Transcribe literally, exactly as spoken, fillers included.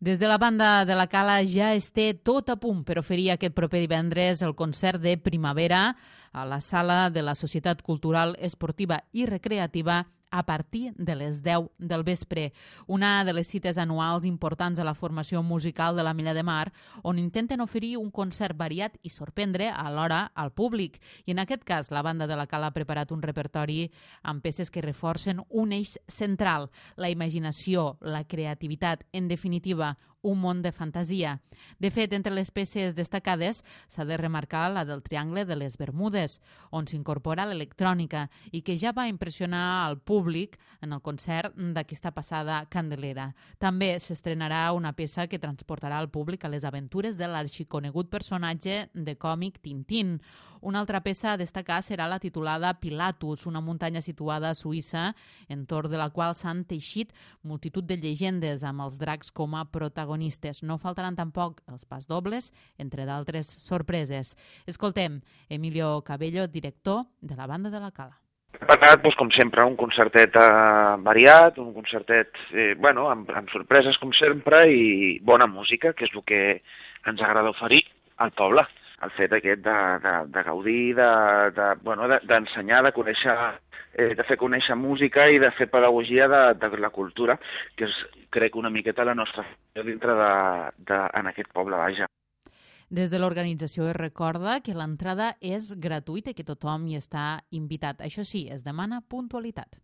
Des de la banda de la Cala ja es té tot a punt per oferir aquest proper divendres el concert de primavera a la sala de la Societat Cultural Esportiva i Recreativa a partir de les deu del vespre. Una de les cites anuals importants a la formació musical de la Milla de Mar, on intenten oferir un concert variat i sorprendre alhora al públic. I en aquest cas, la banda de la Cala ha preparat un repertori amb peces que reforcen un eix central, la imaginació, la creativitat, en definitiva, un món de fantasia. De fet, entre les peces destacades s'ha de remarcar la del Triangle de les Bermudes, on s'incorpora l'electrònica i que ja va impressionar al públic en el concert d'aquesta passada Candelera. També s'estrenarà una peça que transportarà el públic a les aventures de l'arxiconegut personatge de còmic Tintín. Una altra peça a destacar serà la titulada Pilatus, una muntanya situada a Suïssa, entorn de la qual s'han teixit multitud de llegendes amb els dracs com a protagonistes. No faltaran tampoc els pasdobles, entre d'altres sorpreses. Escoltem Emilio Cabello, director de la banda de la Cala. Preparat, doncs, com sempre, un concertet eh, variat, un concertet eh, bueno, amb, amb sorpreses, com sempre, i bona música, que és el que ens agrada oferir al poble. El fet aquest de, de, de gaudir, d'ensenyar, de, de, bueno, de, de conèixer, eh, de fer conèixer música i de fer pedagogia de, de la cultura, que és, crec, una miqueta la nostra dintre de, de, en aquest poble, vaja. Des de l'organització es recorda que l'entrada és gratuïta i que tothom hi està invitat. Això sí, es demana puntualitat.